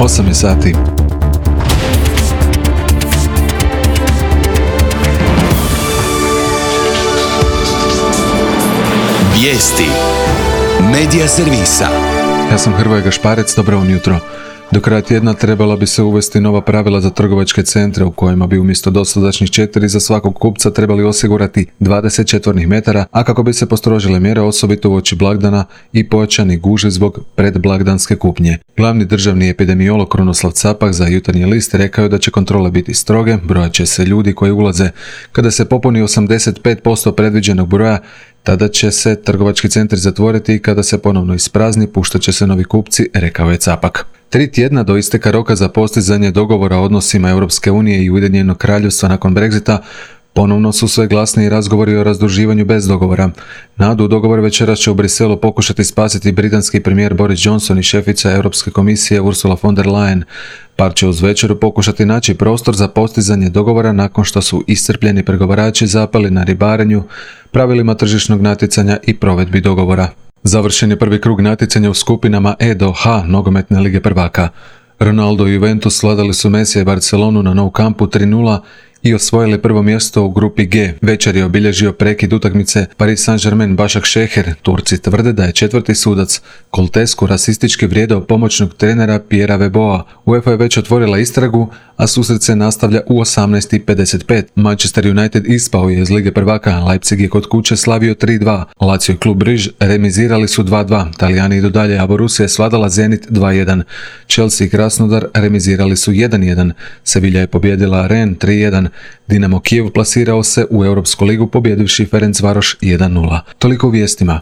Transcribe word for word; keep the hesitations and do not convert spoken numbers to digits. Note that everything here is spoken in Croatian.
osam je sati. Vijesti Medija servisa. Ja sam Hrvoje Gašparec, dobro vam jutro. Do kraja tjedna trebala bi se uvesti nova pravila za trgovačke centre u kojima bi umjesto dosadašnjih četiri za svakog kupca trebali osigurati dvadeset četvornih metara, a kako bi se postrožile mjere osobito uoči blagdana i pojačani gužve zbog predblagdanske kupnje. Glavni državni epidemiolog Krunoslav Capak za Jutarnji list rekao je da će kontrole biti stroge, brojat će se ljudi koji ulaze. Kada se popuni osamdeset pet posto predviđenog broja, tada će se trgovački centri zatvoriti i kada se ponovno isprazni, puštat će se novi kupci, rekao je Capak. Tri tjedna do isteka roka za postizanje dogovora o odnosima Europske unije i Ujedinjenog kraljevstva nakon Brexita, ponovno su sve glasniji razgovori o razduživanju bez dogovora. Nadu u dogovor večeras će u Briselu pokušati spasiti britanski premijer Boris Johnson i šefica Europske komisije Ursula von der Leyen. Par će uz večeru pokušati naći prostor za postizanje dogovora nakon što su iscrpljeni pregovarači zapali na ribarenju, pravilima tržišnog natjecanja i provedbi dogovora. Završen je prvi krug natjecanja u skupinama E do H nogometne lige prvaka. Ronaldo i Juventus sladali su Mesija i Barcelonu na Nou Campu tri nula i osvojili prvo mjesto u grupi G. Večer je obilježio prekid utakmice Paris Saint-Germain Başak Šeher. Turci tvrde da je četvrti sudac Coltescu rasistički vrijedao pomoćnog trenera Pierre Weboa. UEFA je već otvorila istragu, a susret se nastavlja u osamnaest i pedeset pet. Manchester United ispao je iz lige prvaka, Leipzig je kod kuće slavio tri dva. Lazio i klub Briž remizirali su dva dva. Talijani idu dalje, a Borussia je svladala Zenit dva jedan. Chelsea i Krasnodar remizirali su jedan jedan. Sevilla je pobjedila Rennes tri jedan. Dinamo Kijev plasirao se u Europsku ligu pobjedivši Ferencvaroš jedan nula. Toliko u vijestima.